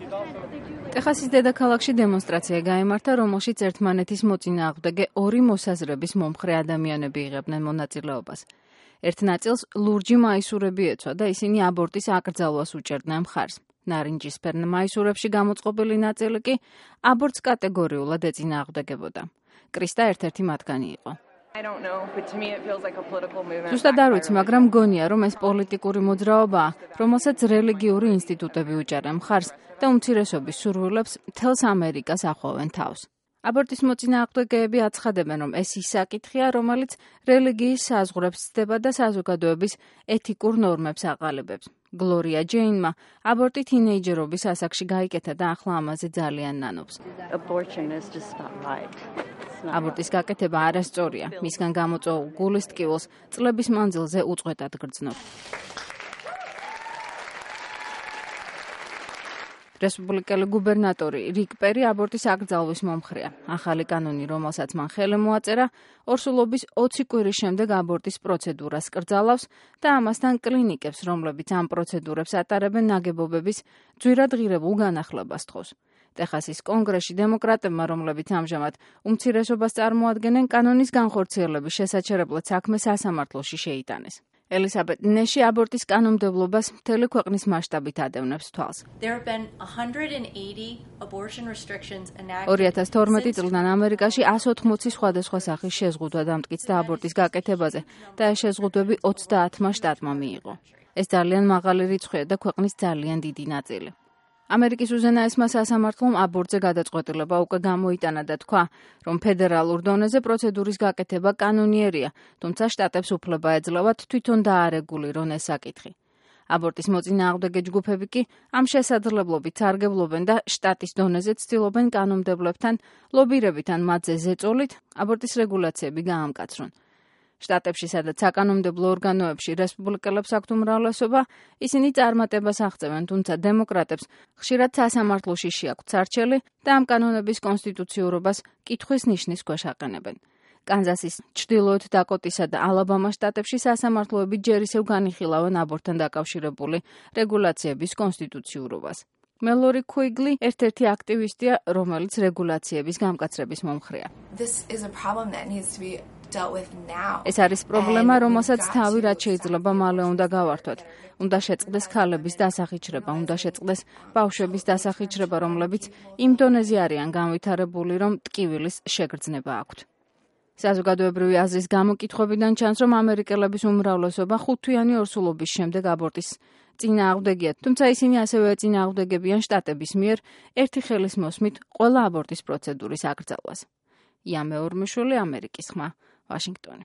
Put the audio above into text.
ტეხასის დედაქალაქში დემონსტრაცია გაიმართა, რომელშიც ერთმანეთის მოწინააღმდეგე ორი მოსაზრების მომხრე ადამიანები იღებდნენ მონაწილეობას. ერთ ნაწილს ლურჯი მაისურები ეცვა და ისინი აბორტის აკრძალვას უჭერდნენ მხარს. ნარინჯისფერ მაისურებში გამოწყობილი ნაწილი კი აბორტს კატეგორიულად ეწინააღმდეგებოდა. კრისტა ერთ-ერთი მათგანი იყო. ზუსტად არ ვიცი, მაგრამ მგონია, რომ ეს პოლიტიკური მოძრაობაა, რომელსაც რელიგიური ინსტიტუტები უჭერენ მხარს და უმცირესობის სურვილებს მთელს ამერიკას ახოვენ თავს. აბორტის მოწინააღმდეგეები აცხადებენ, რომ ეს ის საკითხია, რომელიც რელიგიის საზღვრებს ცდება და საზოგადოების ეთიკურ ნორმებს აყალიბებს. გლორია ჯეინმა აბორტი თინეიჯერობის ასაკში გაიკეთა და ახლა ამაზე ძალიან ნანობს. აბორტის გაკეთება არასწორია. მისგან გამოწვეულ გულის ტკივილს წლების მანძილზე უწყვეტად გრძნობ. რესპუბლიკელი გუბერნატორი რიკ პერი აბორტის აკრძალვის მომხრეა. ახალი კანონი, რომელსაც მან ხელი მოაწერა, ორსულობის 20 კვირის შემდეგ აბორტის პროცედურას კრძალავს და ამასთან კლინიკებს, რომლებიც ამ პროცედურებს ატარებენ, ნაგებობების ძვირად ღირებულ განახლებას თხოვს. ტეხასის კონგრესში დემოკრატებმა, რომლებიც ამჟამად უმცირესობას წარმოადგენენ, კანონის განხორციელების შესაჩერებლად საქმე სასამართლოში შეიტანეს. ელისაბედ ნეში აბორტის კანონმდებლობას მთელი ქვეყნის მასშტაბით ადევნებს თვალს. 2012 წლიდან ამერიკაში 180 სხვადასხვა სახის შეზღუდვა დამტკიცდა აბორტის გაკეთებაზე და ეს შეზღუდვები 30 შტატმა მიიღო. ეს ძალიან მაღალი რიცხვია და ქვეყნის ძალიან დიდი ნაწილი. ამერიკის უზენაესმა სასამართლომ აბორტზე გადაწყვეტილება უკვე გამოიტანა და თქვა, რომ ფედერალურ დონეზე პროცედურის გაკეთება კანონიერია, თუმცა შტატებს უფლება ეძლევათ თვითონ დაარეგულირონ ეს საკითხი. აბორტის მოწინააღმდეგე ჯგუფები კი ამ შესაძლებლობით სარგებლობენ და შტატის დონეზე ცდილობენ კანონმდებლებთან ლობირებით ან მათზე ზეწოლით აბორტის რეგულაციები გაამკაცრონ. შტატებში, სადაც საკანონმდებლო ორგანოებში რესპუბლიკელებს აქვთ უმრავლესობა, ისინი წარმატებას აღწევენ, თუმცა დემოკრატებს ხშირად სასამართლოში შეაქვთ სარჩელი და ამ კანონების კონსტიტუციურობას კითხვის ნიშნის ქვეშ აყენებენ. კანზასის, ჩრდილოეთ დაკოტისა და ალაბამას შტატებში სასამართლოები ჯერ ისევ განიხილავენ აბორტთან დაკავშირებული რეგულაციების კონსტიტუციურობას. მელორი ქუიგლი ერთ-ერთი აქტივისტია, რომელიც რეგულაციების გამკაცრების მომხრეა. ეს არის პრობლემა, რომელსაც თავი რაც შეიძლება მალე უნდა გავართოთ. უნდა შეწყდეს ქალების დასახიჩრება, უნდა შეწყდეს ბავშვების დასახიჩრება, რომლებიც იმ დონეზე არიან განვითარებული, რომ ტკივილის შეგრძნება აქვთ. საზოგადოებრივი აზრის გამოკითხვებიდან ჩანს, რომ ამერიკელების უმრავლესობა ხუთთვიანი ორსულობის შემდეგ აბორტის წინააღმდეგია, თუმცა ისინი ასევე ეწინააღმდეგებიან შტატების მიერ ერთი ხელის მოსმით ყველა აბორტის პროცედურის აკრძალვას. ია მეორმიშვილი, ამერიკის ხმა, ვაშინგტონი.